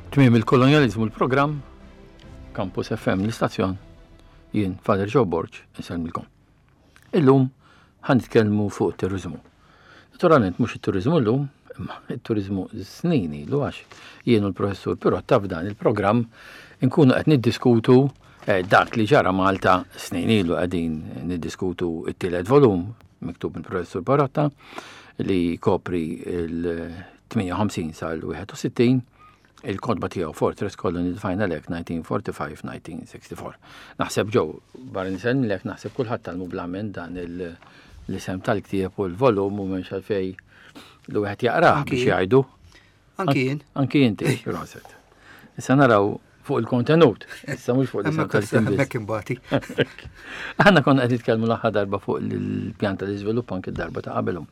Tmiem il-kolonjaliżmu l-programm, Campus FM l-istazzjon, jien Father Joe Borg, insellmilkom. Illum ħa nitkellmu fuq it-turiżmu. Naturalment mhux it-turiżmu llum, imma it-turiżmu snin ilu għax jien u l-professur Pirotta f'dan il-programm inkunu qed niddiskutu eh, dak li ġara Malta snin ilu qegħdin niddiskutu t-tielet volum miktub mill-professur Pirotta li kopri il-58 sal-61 il-kotba tiegħu Fortress Colony the Final Act 1945-1964. Naħseb ġew barra nisellmilek naħseb kulħadd talmu blamen dan l-isem tal-ktieb u l-volum u m'hemmx għalfej li wieħed jaqrah biex jgħidu. Anki jien. Anki inti, proset. Issa naraw fuq il-kontenut, issa mhux fuq l-isem tal-ktieb. Hemmhekk imbagħti. Aħna konna qed nitkellmu l-aħħar darba fuq il-pjan tal-iżvilupp anki d-darba ta' qabelhom.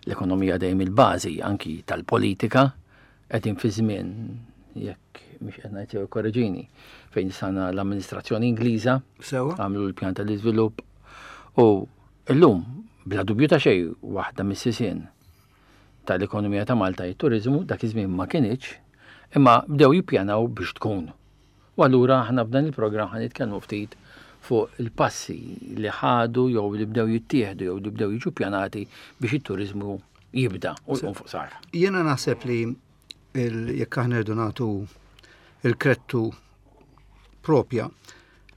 L-ekonomija dejjem il-bażi anki tal-politika qegħdin fi żmien jekk mhix qed ngħid jew korreġini fejn sana l-amministrazzjoni Ingliża għamlu l-pjan tal-iżvilupp u llum bla dubju ta' xejn waħda mis-sisien tal-ekonomija ta' Malta it-turiżmu dak iż-żmien ma kinitx, imma bdew jippjanaw biex tkun. U allura aħna f'dan il-programm ħa nitkellmu ftit fuq il-passi li ħadu jew li bdew jittieħdu jew li bdew jiġu ppjanati biex it-turiżmu jibda u jqum fuq sar. Jiena naħseb li jekk aħna rridu nagħtu il-krettu propja,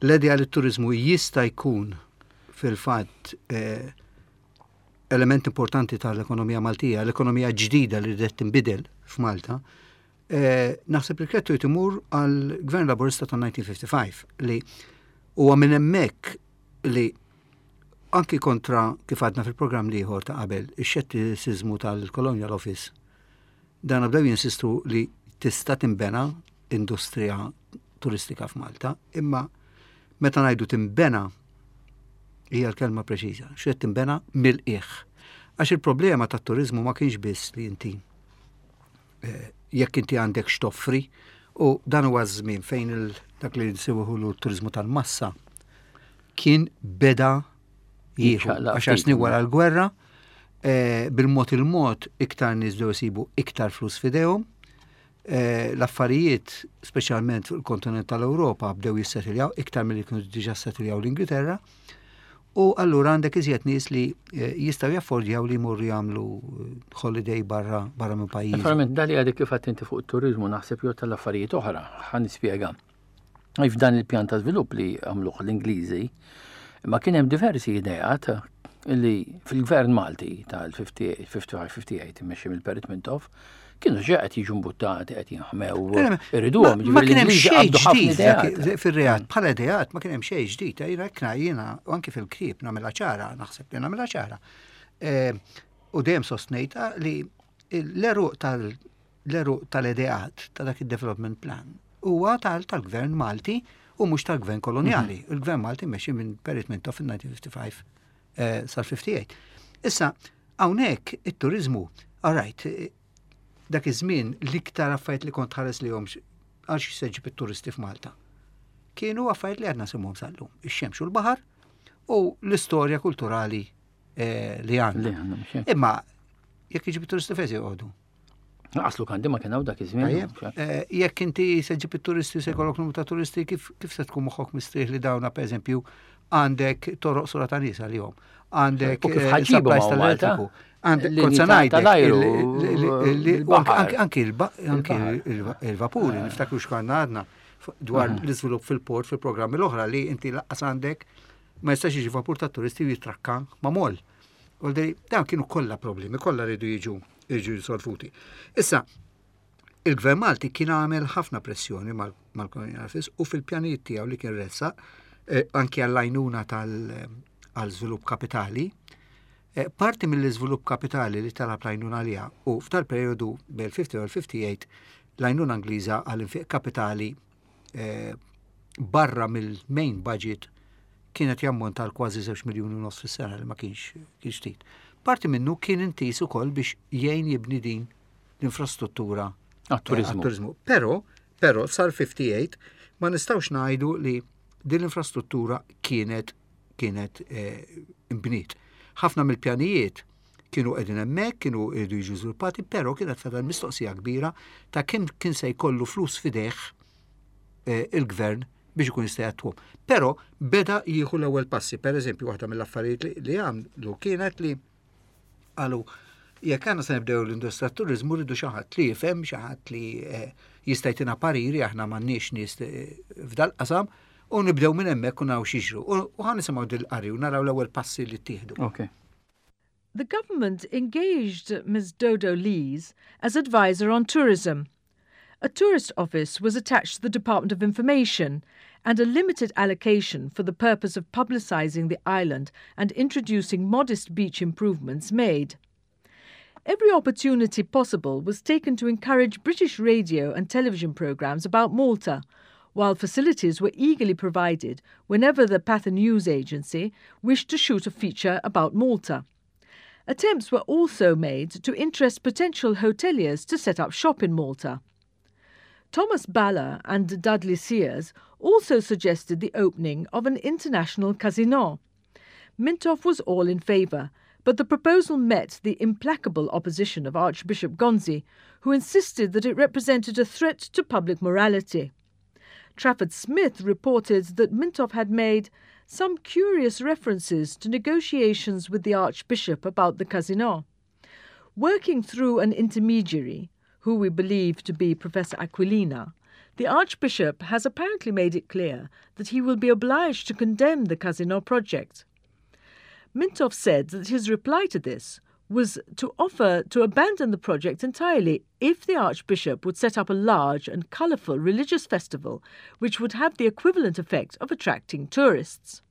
l-idea li t-turiżmu jista' jkun fil-fatt eh, element importanti tal-ekonomija Maltija, l-ekonomija ġdida li rridet tinbidel f'Malta, eh, naħseb li krettu jtimur għal Gvern Laburista ta' 1955 li huwa minn hemmhekk li anki kontra kif għadna fil-programm liħor ta' qabel, ix-xettiċiżmu tal-Colonial Office, dan bdew jinsistu li tista' timbena industrija turistika f'Malta, imma meta ngħidu timbena hija l-kelma preċiża, x'qed timbena mill-qiegħ. Għax il-problema tat-turiżmu ma kienx biss li inti eh, jekk inti għandek x'toffri u dan huwa żmien fejn dak li nsewħu l-turiżmu tal-massa kien beda jieħu għaxar snin wara l-gwerra eh, bil-mod il-mod iktar nies bdew isibu iktar flus f'idejhom Eh, l-affarijiet, speċjalment fuq il-kontinent tal-Ewropa, bdew jissetiljaw iktar milli kienu diġà settiljaw l-Ingilterra. U allura għandek iżjed nies li eh, jistgħu jaffordjaw li jmorru jagħmlu eh, holiday barra barra minn pajjiż. Naturalment dali għadek kif inti fuq it-turizmu naħseb jew tal-affarijiet oħra, ħa nispjega. F'dan il-pjan ta' żvilupp li għamluh l-Ingliżi, ma kien hemm diversi ideat li fil-gvern Malti tal-55-58 immexxi mill-Perit Mintoff kienu ġa qed jiġu mbuttati qed jinħmew irriduhom. Ma kien hemm xejn ġdid fir-reat bħala ideat ma kien hemm xejn ġdid, jiena hekk jiena u anki fil-ktieb nagħmilha ċara, naħseb li nagħmilha ċara. Eh, u dejjem sostnejta li l-eruq tal L-għeruq tal-ideat ta' dak id-development plan huwa tal-gvern Malti u mhux tal-gvern kolonjali. Mhm. Il-gvern Malti mexxi minn Perit Mintoff fil-1955 eh, sal-58. Issa, hawnhekk it-turizmu, all right, eh, dak iż-żmien l-iktar affarijiet li kont ħares li għal xi seġib it-turisti f'Malta. Kienu affarijiet li għadna semhom sal-lum. Ix-xemx u l-baħar u l-istorja kulturali eh, li għandna. Imma jekk iġib it-turisti fejn se joqogħdu? Aslu kandi ma kien hawn dak iż-żmien. Eh, jekk inti se ġib it-turisti se jkollok numru ta' turisti, kif kif se tkun moħħok mistrieħ li dawna pereżempju għandek toroq sura ta' nies għalihom, għandek kif eh, supplies tal-elettriku, għandek kont ngħidlek anki il-vapuri, eh. niftakru x'konna għadna dwar mhm. l-iżvilupp fil-port fil-programmi l-oħra li inti laqqas għandek ma jistax jiġi vapur ta' turisti u jitrakka ma' moll. U dawn kienu kollha problemi, kollha rridu jiġu jiġu risolvuti. Issa, il-Gvern Malti kien għamel ħafna pressjoni mal-Colonial Office u fil-pjanijiet tiegħu li kien ressaq eh, anki għall-għajnuna tal-żvilupp kapitali, eh, parti mill-iżvilupp kapitali li talab l-għajnuna għaliha u f'tal-perjodu bejn 50 u 58 l-għajnuna Ingliża għall-infiq kapitali eh, barra mill-main budget kienet jammonta għal kważi 2 miljuni u nofs fis-sena li ma kienx kienx ftit. Parti minnu kien intis ukoll biex jgħin jibni din l-infrastruttura għat-turizmu. Eh, però, però sal-58 ma nistgħux ngħidu li din l-infrastruttura kienet kienet eh, imbniet. Ħafna mill-pjanijiet Kienu qegħdin hemmhekk, kienu jridu jiġu żviluppati, però kienet fadal mistoqsija kbira ta' kemm kien se jkollu flus f'idejh eh, il-gvern biex ikun jista' jattwhom. Però beda jieħu l-ewwel passi. Per eżempju, waħda mill-affarijiet li għamlu kienet li qalu jekk għandna se nibdew l-industrija turizmu rridu xi ħadd li jifhem, xi ħadd li eh, jista' jtina pariri aħna m'għandniex nies eh, f'dal-qasam u nibdew minn hemmhekk u naraw x'jiġru. U ħa nisimgħu dil-qari u naraw l-ewwel passi li ttieħdu. Okay. The government engaged Ms. Dodo Lees as advisor on tourism. A tourist office was attached to the Department of Information and a limited allocation for the purpose of publicising the island and introducing modest beach improvements made. Every opportunity possible was taken to encourage British radio and television programmes about Malta, while facilities were eagerly provided whenever the Patha News Agency wished to shoot a feature about Malta. Attempts were also made to interest potential hoteliers to set up shop in Malta. Thomas Baller and Dudley Sears also suggested the opening of an international casino. Mintoff was all in favour, but the proposal met the implacable opposition of Archbishop Gonzi, who insisted that it represented a threat to public morality. Trafford Smith reported that Mintoff had made some curious references to negotiations with the Archbishop about the casino. Working through an intermediary, who we believe to be Professor Aquilina, the Archbishop has apparently made it clear that he will be obliged to condemn the casino project. Mintoff said that his reply to this was to offer to abandon the project entirely if the Archbishop would set up a large and colourful religious festival which would have the equivalent effect of attracting tourists.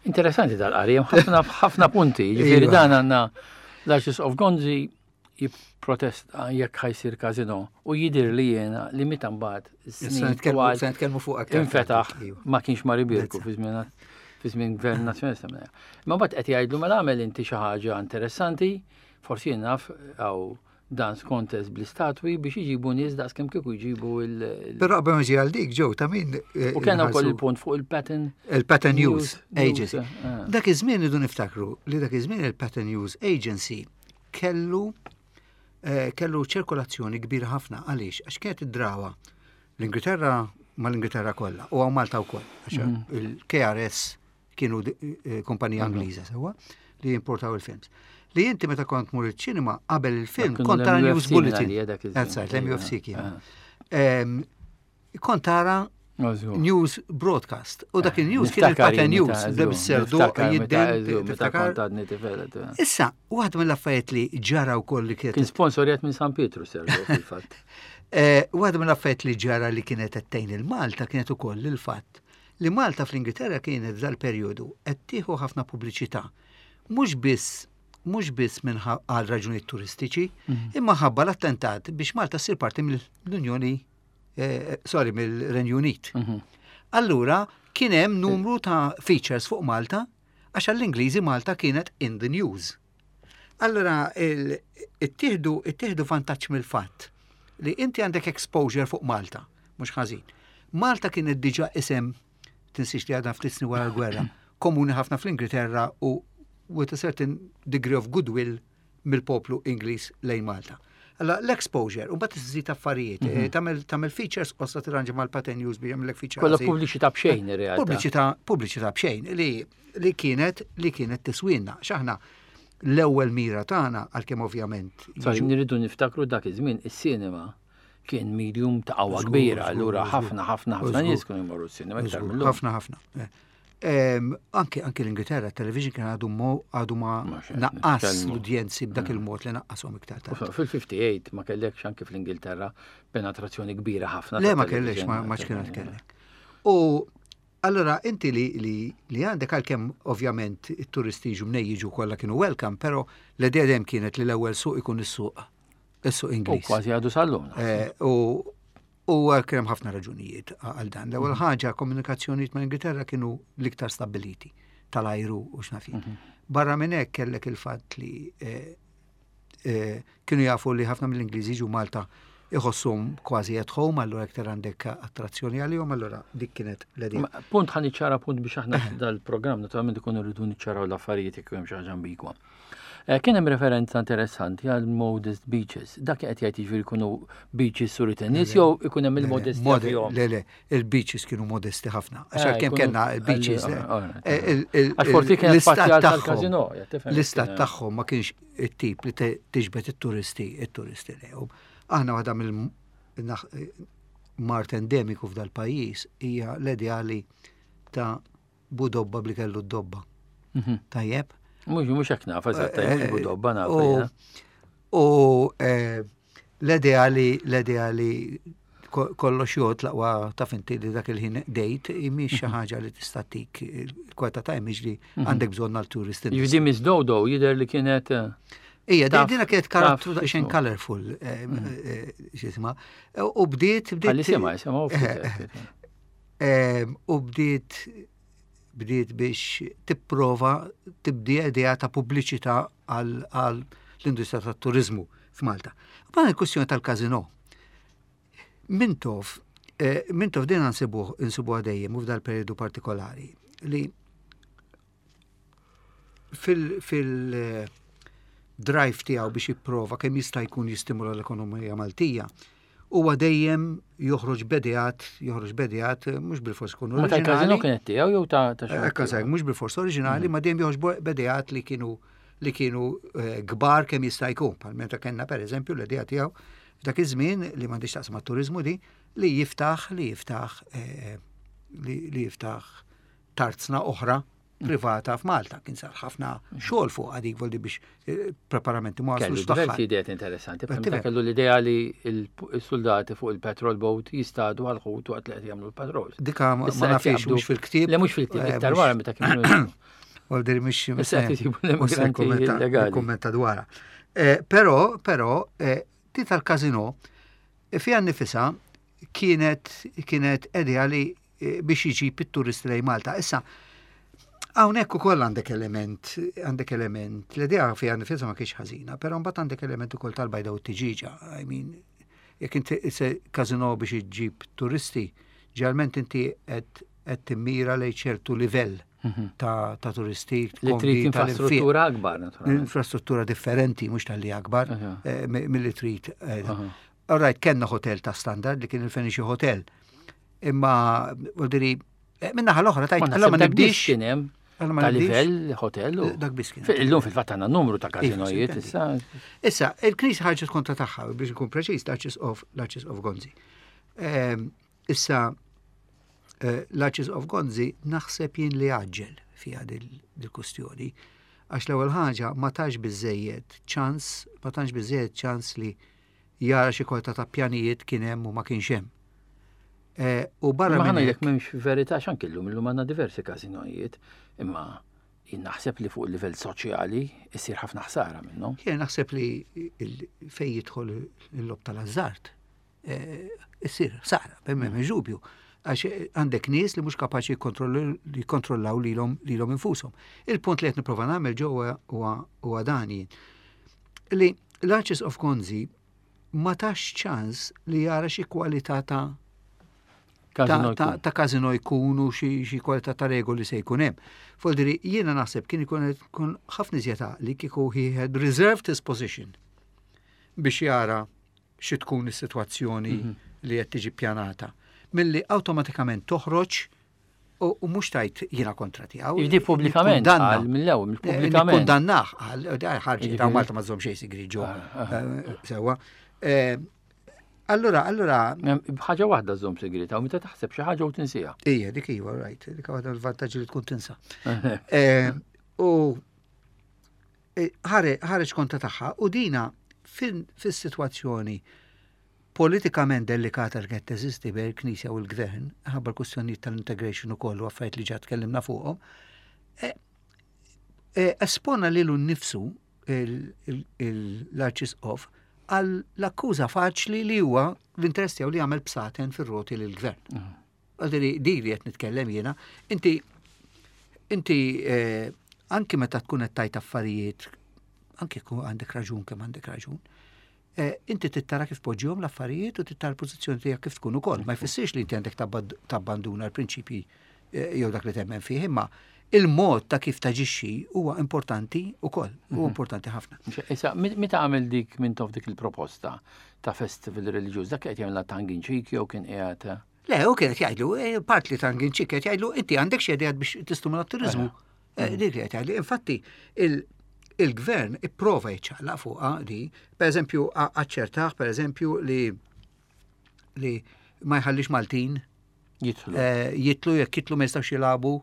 Interessanti dal-qari, ħafna ħafna punti, ġifieri iva. dan għandna l-Arċisqof Gonzi jipprotesta jekk ħajsir kazino u jidir li jiena li meta mbagħad snin twal nitkellmu fuq aktar. Infetaħ iva. ma kienx mar ibierku fi żmien fi żmien gvern nazzjonalista. Ma mbagħad qed jgħidlu mela għamel inti xi ħaġa interessanti, forsi jien naf għaw dance contest bl-istatwi biex iġibu nies daqs kemm kieku jġibu il. Però qabel ma ġi għal dik ġew ta' min. Eh, U kellna wkoll il-punt fuq il-Pattern. Il-Pattern News Agency. Eh. Dak iż-żmien idu niftakru li dak iż-żmien il-Pattern News Agency kellu eh, kellu ċirkolazzjoni kbira ħafna għaliex għax kienet id-drawa l-Ingilterra mal-Ingilterra kollha u għaw Malta wkoll għax mhm. il-KRS kienu eh, kumpanija mhm. Ingliża sewwa li jimportaw il-films. Li inti meta kont mur iċ-ċinema qabel il-film kont tara news bulletin. That's right, l-MUFC kien. Ah. Kont tara news broadcast. U dak il-news kien il-pattern news, bis-serdu jiddem. Issa, waħda mill-affarijiet li ġara wkoll li kienet. Kien sponsorjat minn San Pietru serdu fil-fatt. Eh, waħda mill-affarijiet li ġara li kienet qed il-Malta kienet ukoll il-fatt li Malta fl-Ingilterra kienet dal-perjodu qed tieħu ħafna pubbliċità. Mhux biss mhux biss minn għal raġunijiet turistiċi, mhm. imma ħabba l-attentat biex Malta ssir parti mill-Unjoni eh, sorry, mill-Renju Unit. Mhm. Allura, kien hemm numru ta' features fuq Malta, għax għall-Ingliżi Malta kienet in the news. Allura, ittieħdu ittieħdu vantaġġ mill-fatt li inti għandek exposure fuq Malta, mhux ħażin. Malta kienet diġà isem tinsiex li għadha ftit snin wara l-gwerra, komuni ħafna fl-Ingilterra u with a certain degree of goodwill mill-poplu Ingliż lejn Malta. Alla l-exposure, u bat iżżid affarijiet, mhm. eh, tagħmel tagħmel features qossa tirranġa mal-Patent News biex jagħmlek feature. Kollha pubbliċità b'xejn ir-realtà. Pubbliċità pubbliċità b'xejn li li kienet li kienet tiswinna. X'aħna l-ewwel mira tagħna għalkemm ovvjament. Sorry, nirridu niftakru dak iż-żmien is-sinema kien medium ta' qawwa kbira, allura ħafna ħafna ħafna nies kienu jmorru s-sinema iktar mill Ħafna ħafna. Eh. Anke anke l-Ingilterra, television kien għadu mo għadu ma naqqas l-udjenzi b'dak mm. il-mod li naqqashom iktar tard. Fil-58 ma kellekx anke fl-Ingilterra penetrazzjoni kbira ħafna. Le ma kellekx ma kienet kellek. U allora inti li li li għandek għalkemm ovvjament it-turisti jiġu mnej jiġu kollha kienu welcome, però l-idea dejjem kienet li l-ewwel suq ikun is-suq is-suq Ingliż. U kważi għadu sal-lum. Eh, u U kien hemm ħafna raġunijiet għal dan. L-ewwel mhm. ħaġa komunikazzjonijiet ma' Ingilterra kienu l-iktar stabiliti tal-ajru u x'naf mhm. Barra minn hekk kellek il-fatt li eh, eh, kienu jafu li ħafna mill-Ingliżi ġu Malta iħossum kważi at home, allura iktar għandek attrazzjoni għalihom, allura dik kienet l-idea. Punt ħan iċċara punt biex aħna dal-programm naturalment ikunu rridu niċċaraw l-affarijiet jekk hemm xi ħaġa ambigwa. Eh, kien hemm referenza interessanti għal modest beaches. Dak qed jgħid jiġifieri jkunu beaches suri tennis jew ikun hemm il-modesti fihom. Le, le, il-beaches kienu modesti ħafna. Għax eh, kemm kellna il-beaches. Eh, Għax forsi kien l-istat tagħhom. L-istat tagħhom ma kienx it-tip li tiġbed it-turisti, it-turisti lejhom. Aħna waħda mill mart endemiku f'dal-pajjiż hija l-ideali ta' budobba bli kellu d-dobba. Mhm. Tajjeb? Mux, mux hekk naf, eżatt, mux eh, budobba naf. U eh, l-idea li l-idea li kollox jgħod laqwa ta' finti li dak il-ħin dejt imiex xi mhm. ħaġa li tista' tik il-kwalità ta' imiex li mhm. għandek bżonn għal turisti. Jiġi Miss Dodo jidher li kienet eh, Ija, dina kienet karattru daqsxejn colorful, xisma. U bdiet bdiet. Għalli sema, sema. U bdiet bdiet biex tipprova tibdi idea ta' pubbliċità għal l-industrija tat-turizmu f'Malta. Bħala il-kwistjoni tal-kazino. Mintoff, eh, Mintoff din nsibuh insibuha dejjem u f'dal periodu partikolari li fil-drive tiegħu biex jipprova kemm jista' jkun jistimula l-ekonomija Maltija, huwa dejjem joħroġ b'edeat, joħroġ b'edeat mhux bil-fors ikunu oriġinali. Ma tal-każino kienet tiegħu jew ta' ta' xi? Ekka mhux bil-fors oriġinali, ma dejjem joħroġ b'edeat li kienu li kienu eh, kbar kemm jista' jkun. Bħal meta kellna pereżempju l-idea tiegħu f'dak iż-żmien li m'għandix taqsam mat-turiżmu di li jiftaħ li jiftaħ eh, li jiftaħ tarzna oħra privata f'Malta. Kien sar ħafna xogħol fuq għadik voldi biex eh, preparamenti ma waslux Diversi ideat interessanti. Meta kellu l-idea li l-soldati fuq il-patrol boat jistadu għal-ħut waqt li qed jagħmlu l-patrols. Dika ma nafix mhux fil-ktieb. Le mhux fil-ktieb, eh, iktar wara meta kienu. Voldi mhux kummenta dwarha. Eh, però, però, di tal-kazino fiha nifisha kienet kienet idea li eh, biex iġib it-turisti lejn Malta. Issa, hawnhekk ukoll għandek element, għandek element, l-idea fiha nifisha ma kienx ħażina, però mbagħad għandek element ukoll tal-bajda u t-tiġiġa. I mean, jekk inti se kazino biex iġib turisti, ġeneralment inti qed qed timmira lejn ċertu livell mhm. ta', ta turisti. Li trid infrastruttura akbar, naturalment. Infrastruttura differenti, mhux tal-li akbar, eh, milli trid. Eh, All right, kellna hotel ta' standard li kien il-Fenici Hotel. Imma, vuol eh, minna l-oħra tajt, allora ma nibdix. Kien hemm ta' livell hotel. Dak biss kien. Illum fil-fatt għandna numru ta' kazinojiet issa. Issa, il-Knisja ħarġet kontra tagħha biex nkun preċiż l-Arċisqof l-Arċisqof Gonzi. Ehm, issa eh, l-Arċisqof Gonzi naħseb jien li għaġġel fiha dil-kustjoni. Għax l-ewwel ħaġa ma tax biżejjed ċans, ma tax biżejjed ċans li jara xi kwalità ta' pjanijiet kien hemm u ma kienx hemm. Eh, u barra minn hekk m'hemmx verità x'anke llum illum għandna diversi każinojiet, imma jien naħseb li fuq il-livell soċjali issir ħafna ħsara minnhom. Jien naħseb li fejn jidħol il-lob tal-azzart, eh, issir ħsara, b'hemm dubju. Għax għandek nies li mhux kapaċi jikkontrollaw lilhom lilhom infushom. Il-punt li qed nipprova nagħmel ġewwa huwa dan jien. Li l-Arċisqof Gonzi ma tax ċans li jara xi kwalità ta' ta' kazino jkunu xi kwalità ta' regoli se jkun hemm. Foldiri, jiena naħseb kien ikun ikun ħafna iżjed li kieku he had reserved his position biex jara xi tkun is-sitwazzjoni mhm. li qed tiġi ppjanata. Milli awtomatikament toħroġ U mhux tajt jiena kontra tiegħu. Jiġi pubblikament qal mill-ewwel, eh, pubblikament. Kundannah qal, eh, ħarġi ta' Malta ma żomm xejn sigri ġo. Ah, ah, eh, sewwa. Allura, allura. Ħaġa waħda żomm sigri ta' meta taħseb xi ħaġa u tinsija. Ija, dik iva, right, dik waħda l-vantaġġi li tkun tinsa. U ħareġ kontra tagħha u dina fis-sitwazzjoni politikament delikata li kienet teżisti bejn il-Knisja u l-Gvern, ħabba l-kwistjonijiet tal-integration ukoll u affarijiet li ġa tkellimna fuqhom, e, e, espona lilu nnifsu l-Arċisqof għal l-akkuża faċli li huwa l-interess tiegħu li jagħmel bsaten fir-roti lill-gvern. Mhm. Għaldiri, di li qed nitkellem jiena, inti inti eh, anki meta tkun qed tajt affarijiet, anki għandek raġun kemm għandek raġun, Eh, inti tittara kif poġġihom l-affarijiet u tittara l-pożizzjoni tiegħek kif tkun ukoll. Ma jfissirx li inti għandek tabbanduna l-prinċipji eh, jew dak li temmen fih, imma Il-mod ta' kif taġixxi huwa importanti wkoll, huwa importanti ħafna. Issa, meta għamel dik Mintoff dik il-proposta ta' festival reliġjuż, dak qed jagħmilha tongue in cheek jew kien qiegħed? Le, u kien qed jgħidlu, part li tongue in cheek qed jgħidlu, inti għandek xi ideat biex tistimula t-turiżmu. Dik li qed jgħidlu. Infatti, il-gvern ipprova jiċċaqlaq fuqha di, per eżempju, aċċertah, per eżempju, li ma jħallix Maltin jitlu. Jitlu, jekk jitlu ma jistgħux jilagħbu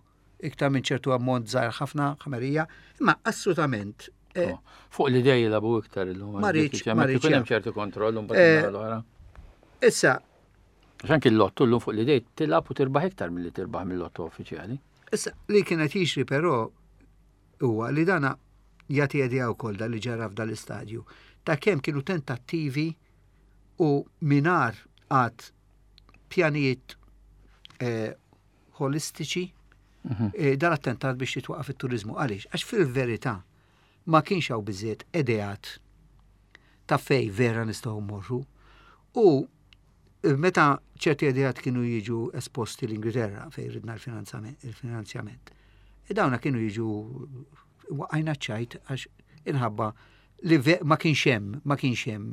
iktar minn ċertu ammont żgħir ħafna ħamerija, imma assolutament. Oh, fuq l-idej jilagħbu iktar illum. Ma rridx, ma rridx. Ikun hemm ċertu kontroll mbagħad l-oħra. Issa. Għax anki l-lottu llum fuq l-idej tilgħab u tirbaħ iktar milli tirbaħ mill-lottu uffiċjali. Issa li kienet jiġri però huwa li dana jagħti idea wkoll dan li ġara f'dal-istadju ta' kemm kienu tentattivi u mingħajr qatt pjanijiet holistiċi dal-attentat biex jitwaqaf it-turizmu. Għaliex? Għax fil-verità ma kienx hawn biżżejjed ideat ta' fej vera nistgħu mmorru. U meta ċerti ideat kienu jiġu esposti l-Ingilterra fej ridna l-finanzjament, dawna kienu jiġu waqajna ċajt għax inħabba li ma kienx hemm, ma kienx hemm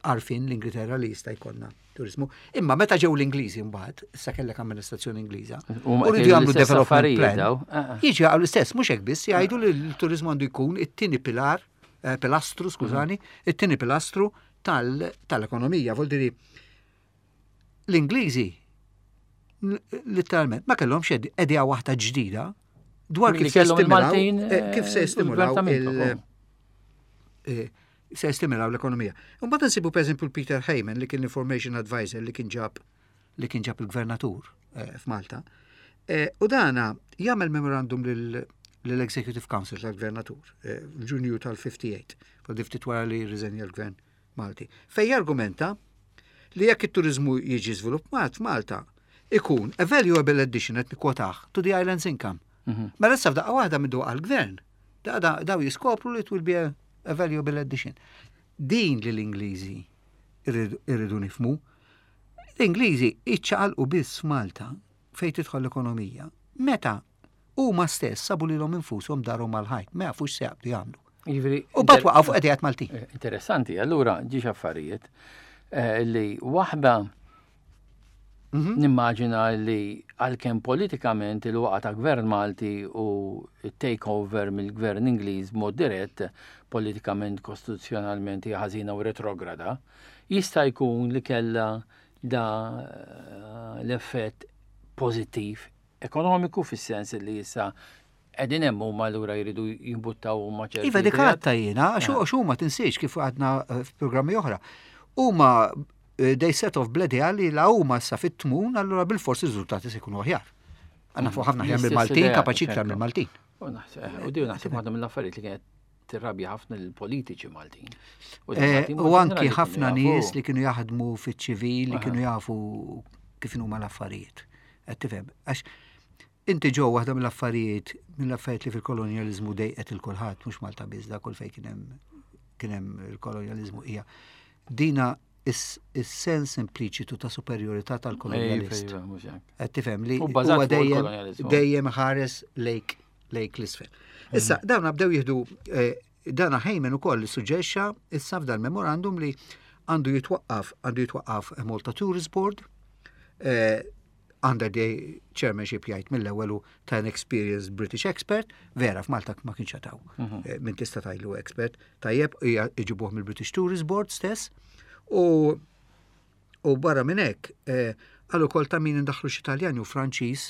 għarfien l-Ingilterra li jista' jkollna turizmu. Imma meta ġew l-Ingliżi mbagħad, issa kellek amministrazzjoni Ingliża, U u rridu jagħmlu l-istess development affarijiet plan. daw. Jiġi għal l-istess, mhux hekk biss, jgħidu li l-turizmu għandu jkun it-tieni pilar, pilastru, skużani, it-tieni pilastru tal-ekonomija. Vuol dire l-Ingliżi letteralment ma kellhomx idea waħda ġdida dwar Milli kif se kellhom jistimulaw, il-Maltin, kif se jistimulaw u l-Gvern ta' Mintoff, se jistimulaw l-ekonomija. Mbagħad nsibu pereżempju l-Peter Hayman li kien l-information advisor li kien ġab li kien ġab il-gvernatur f'Malta. U dana jagħmel memorandum lill-Executive Council tal-Gvernatur f'Ġunju tal-58, fuq ftit wara li rriżenja l-Gvern Malti, fej jargumenta li jekk it-turizmu jiġi żviluppat f'Malta, ikun a valuable addition, qed nikkwotah, to the island's income. Mela issa f'daqqa waħda minn għall-gvern, daw jiskopru li it will be a valuable addition. Din li l-Ingliżi irridu nifmu, l-Ingliżi iċċaqalqu biss f'Malta fejn tidħol l-ekonomija. Meta huma stess sabu lilhom infushom darhom mal-ħajt, ma jafux se jaqbdu jagħmlu. U bat waqgħu fuq ideat Maltin. Interessanti, allura ġiex affarijiet li waħda nimmaġina li għalkemm politikament il-waqa ta' gvern Malti u takeover mill-gvern Ingliż mod dirett politikament kostituzzjonalment hija ħażina u retrograda, jista' jkun li kellha da l-effett pożittiv ekonomiku fis-sens li issa qegħdin hemm huma allura jridu jimbuttaw huma ċerti Iva, dik ideat. għatta jiena, għax huma tinsiex kif għadna f'programmi oħra. Huma they set off bl-idea li la huma issa fit-tmun, allura bil-forsi r-riżultati se jkunu aħjar. Għandna fuq ħafna aħjar L-istess mill-Maltin, idea, kapaċi iktar ċertu. mill-Maltin. U di naħseb waħda mill-affarijiet li kienet tirrabja ħafna l-politiċi Maltin. U Maltin U mod anki ġenerali kienu ħafna jafu. nies li kienu jaħdmu fiċ-ċivil, li kienu jafu kif huma l-affarijiet. Qed tifhem? Għax inti ġew waħda mill-affarijiet li fil-kolonjalizmu dejqet il-kulħadd, mhux Malta biss, da kull fejn kien hemm il-kolonjalizmu hija dina is-sens impliċitu ta' superjorità tal-kolonjalist. Ejfa, mhux hekk. Qed tifhem li U bbażat huwa fuq il-kolonjalizmu. dejjem ħares lejk l-isfel. Issa, dawna bdew jieħdu, dana Hayman ukoll suġġerixxa issa f'dan memorandum li għandu jitwaqqaf Malta Tourist Board, under the chairmanship jgħid mill-ewwel u ta' an experienced British expert, vera f'Malta ma kienx jataw. Min tista' tajlu expert, tajjeb hija iġibuh mill-British Tourist Board stess, u barra minn hekk għal ukoll ta' min indaħħlu xi Taljani u Franċiż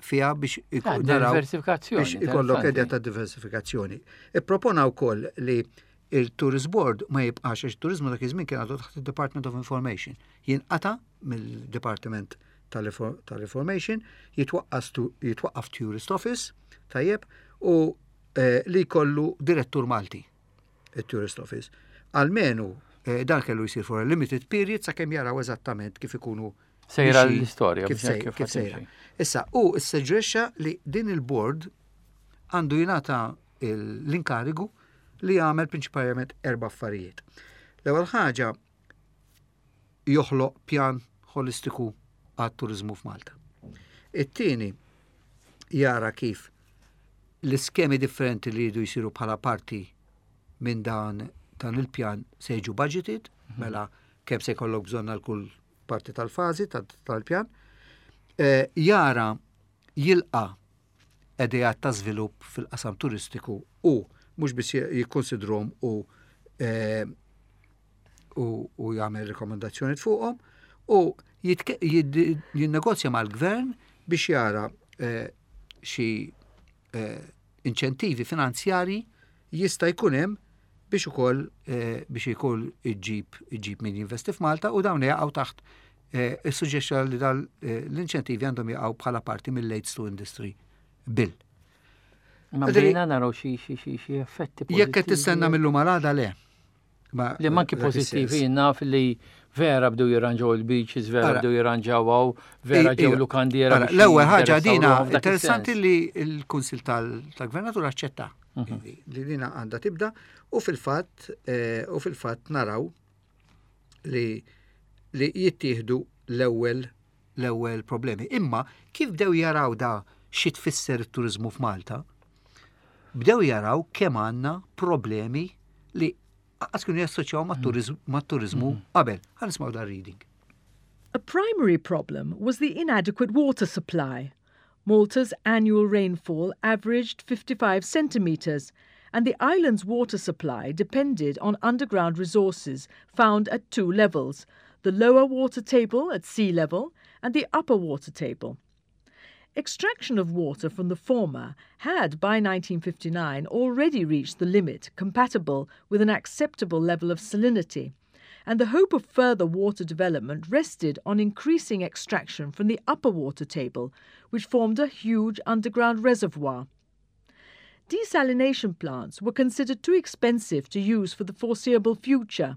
fiha biex naraw Diversifikazzjoni, biex ikollok interessanti. idea ta' diversifikazzjoni. Ippropona wkoll li il-Tourist Board ma jibqax, għax il-turizmu dak iż-żmien kien għadu taħt il-Department of Information. Jinqata mill-Department tal-Information, jitwaqqaf Tourist Office, tajjeb, u li jkollu direttur Malti, il-Tourist Office. Almenu dan kellu jsir for a limited period sakemm jaraw eżattament kif ikunu Sejra mixi, l-istorja, kif biex hekk kif kif sejra. ħatimxi. Issa, u ssuġġerixxa li din il-board għandu jingħata l-inkarigu li jagħmel prinċipalment erba' affarijiet. L-ewwel ħaġa joħloq pjan holistiku għat-turizmu f'Malta. It-tieni jara kif l-iskemi differenti li jridu jsiru bħala parti minn dan dan il-pjan se jiġu budgeted, mela kemm se jkollok bżonn għal kull parti tal-fażi tal-pjan. Jara jilqa' ideat ta' żvilupp fil-qasam turistiku u mhux biss jikkonsidrhom u eh, u, u jagħmel rekomendazzjoni fuqhom u jinnegozja mal-gvern biex jara eh, xi eh, inċentivi finanzjari jista' jkun hemm biex ukoll eh, biex ikun iġib iġib min jinvesti f'Malta u dawn jaqgħu taħt eh, is-suġġeċa li dal eh, l-inċentivi għandhom jaqgħu bħala parti mill-Aids to Industry Bill. Ma bdejna naraw xi xi xi xi effetti. Jekk qed tistenna mill-lum għal le. Li manki pożittivi naf li vera bdew jirranġaw il-beaches, vera bdew jirranġaw għaw, vera ġew lukandiera. L-ewwel ħaġa dina interessanti li l-Kunsil tal-Gvernatur aċċetta mhm. li dina għandha tibda u fil-fatt eh, u fil-fatt naraw li li jittieħdu l-ewwel l-ewwel problemi. Imma kif bdew jaraw da xi tfisser it-turiżmu f'Malta, bdew jaraw kemm għandna problemi li għas kienu jassoċjaw mat-turiżmu mhm. qabel. Ħa nismgħu dar reading. A primary problem was the inadequate water supply. Malta's annual rainfall averaged 55 centimetres, and the island's water supply depended on underground resources found at two levels the lower water table at sea level and the upper water table. Extraction of water from the former had by 1959 already reached the limit compatible with an acceptable level of salinity, and the hope of further water development rested on increasing extraction from the upper water table, which formed a huge underground reservoir. Desalination plants were considered too expensive to use for the foreseeable future.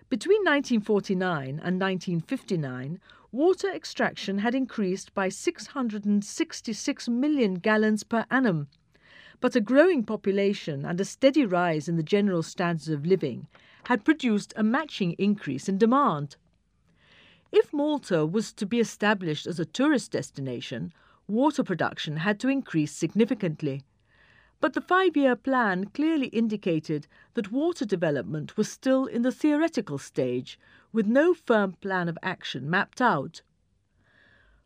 Between 1949 and 1959, water extraction had increased by 666 million gallons per annum. But a growing population and a steady rise in the general standards of living had produced a matching increase in demand. If Malta was to be established as a tourist destination, water production had to increase significantly. But the five year plan clearly indicated that water development was still in the theoretical stage, with no firm plan of action mapped out.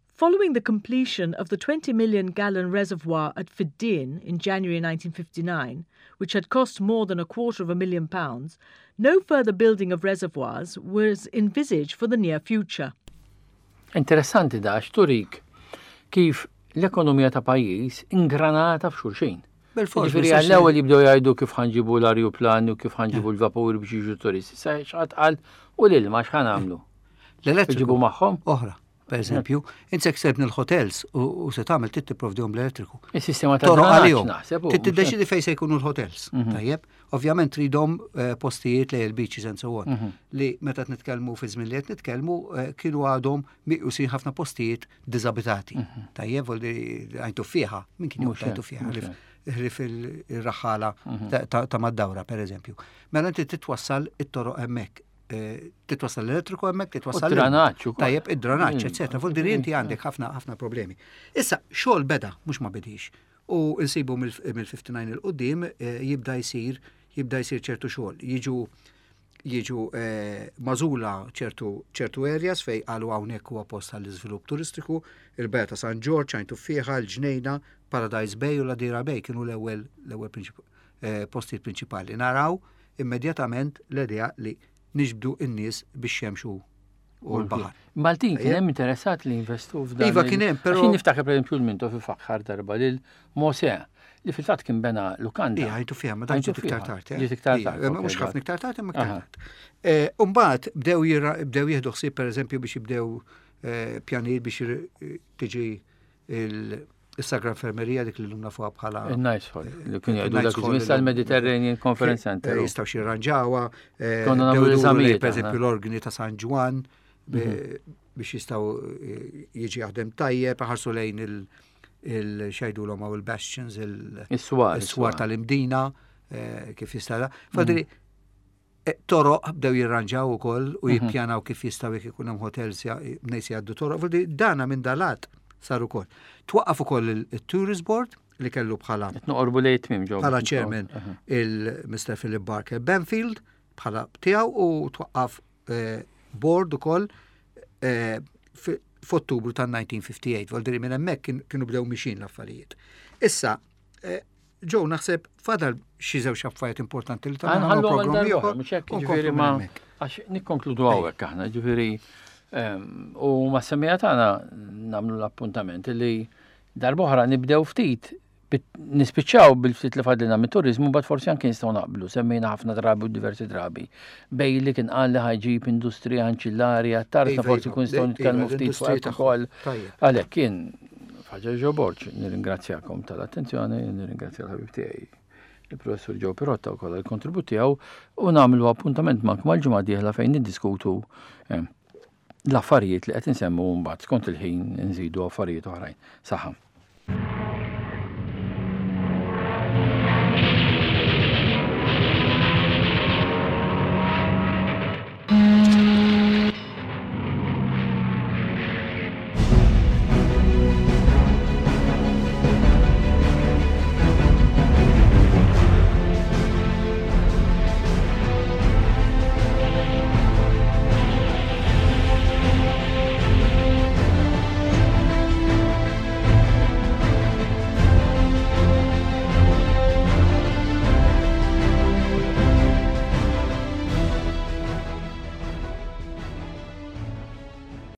Following the completion of the 20 million gallon reservoir at Fiddin in January 1959, which had cost more than a quarter of a million pounds, no further building of reservoirs was envisaged for the near future. Interessanti da turik kif l-ekonomija ta' pajjiż ingranata f'xulxin. Ġifieri għall-ewwel jibdew jgħidu kif ħa nġibu l-arjuplani u kif ħa nġibu l-vapuri biex jiġu turisti. Sa x'ħadd qal u l-ilma x'ħa nagħmlu? L-elettriku magħhom? Oħra, per eżempju, inti se tibni l-hotels u se tagħmel trid tipprovdihom l-elettriku. Is-sistema ta' toroq għalihom. Trid tiddeċidi fejn se jkunu l-hotels. Mhm. Tajjeb, ovvjament tridhom eh, postijiet lejn il-beaches and so on. Mhm. Li meta nitkellmu fi żmien li qed nitkellmu eh, kienu għadhom miqjusin ħafna postijiet diżabitati. Mhm. Tajjeb, voldi għajtu fiħa, min kien joqgħod għajtu fiħa, ħlif il-raħala mhm. ta' mad-dawra, per eżempju. Mela inti titwassal it-toroq hemmhekk eh, titwassal l-elettriku hemmhekk, titwassal id-dranaġġ. Tajjeb, id-dranaġġ, mm. eċetera. Vuol inti għandek ħafna ħafna problemi. Issa, xogħol beda, mhux ma bedix. U nsibu mill-59 il-qudiem eh, jibda jsir jibda jsir ċertu xogħol. Jiġu jiġu eh, magħżula ċertu ċertu areas fej qalu hawnhekk huwa post għall-iżvilupp turistiku, il-Bajja ta' San Ġorġ, Għajn Tuffieħa, il-Ġnejna, Paradise Bay u l-Għadira Bay kienu l-ewwel l-ewwel eh, postijiet prinċipali. Naraw immedjatament l-idea li niġbdu n-nies bix-xemx u u l-baħar. Maltin kien hemm interessat li jinvestu f'dan. Iva kien hemm, però. Għax niftakar pereżempju l-Mintoff ifaħħar darba lil Mosè li fil-fatt kien bena lukanda. Ija, għajtu fiha, ma dan ġiet iktar tard. Eh. Ġiet iktar tard. Mhux ħafna iktar tard, imma iktar tard. Eh, Umbagħad bdew bdew jieħdu ħsieb pereżempju biex jibdew eh, pjanijiet biex tiġi il-Sagra Infermerija dik li l-lum nafuha bħala. Il-Nice Hall, li kien jgħidu dak iż-żmien sal-Mediterranean Conference Center. Jistgħu xi jirranġawha. Konna nagħmlu l-eżamijiet. Pereżempju l-organi ta' San Ġwann biex jistgħu jiġi jaħdem tajjeb, ħarsu lejn il- il-xajdulhom għaw il-bastions, il-swar tal-imdina, eh, kif jista' Fadri, mm. eh, toroq bdew jirranġaw ukoll u mhm. jippjanaw kif jistgħu jekk ikun hemm hotels nies jgħaddu toroq. Fadri, dana minn dalat. Sar ukoll. Twaqqaf ukoll il-Tourist Board li kellu bħala Noqorbu lejn tmiem ġew. Bħala chairman il-Mr. Philip Barker Benfield bħala tiegħu u twaqqaf eh, board ukoll eh, f'Ottubru tan-1958, voldiri minn hemmhekk kienu bdew mixin l-affarijiet. Issa, eh, Ġew naħseb fadal xi żewġ affarijiet importanti li tagħna programm ieħor. Mhux hekk ġifieri ma għax nikkonkludu hawnhekk aħna ġifieri ehm, u ma semmija tagħna nagħmlu l-appuntament li darb'oħra nibdew ftit nispiċċaw bil-ftit li fadlina mit-turizmu, bad forsi anke nistgħu naqblu, semmejna ħafna drabi u diversi drabi. Bej li kien qal li ħajġib industrija anċillari għat-tarta iva, forsi iva. kun nistgħu nitkellmu ftit fuq ukoll. Għalhekk kien Faġa Ġo Borg, nirringrazzjakom tal-attenzjoni, nirringrazzja l-ħabib tiegħi il-professur Joe Pirotta wkoll għall-kontribut tiegħu u nagħmlu appuntament magħkom għal-ġimgħa dieħla fejn niddiskutu eh, l-affarijiet li qed insemmu mbagħad skont il-ħin nżidu affarijiet oħrajn. Saħħa.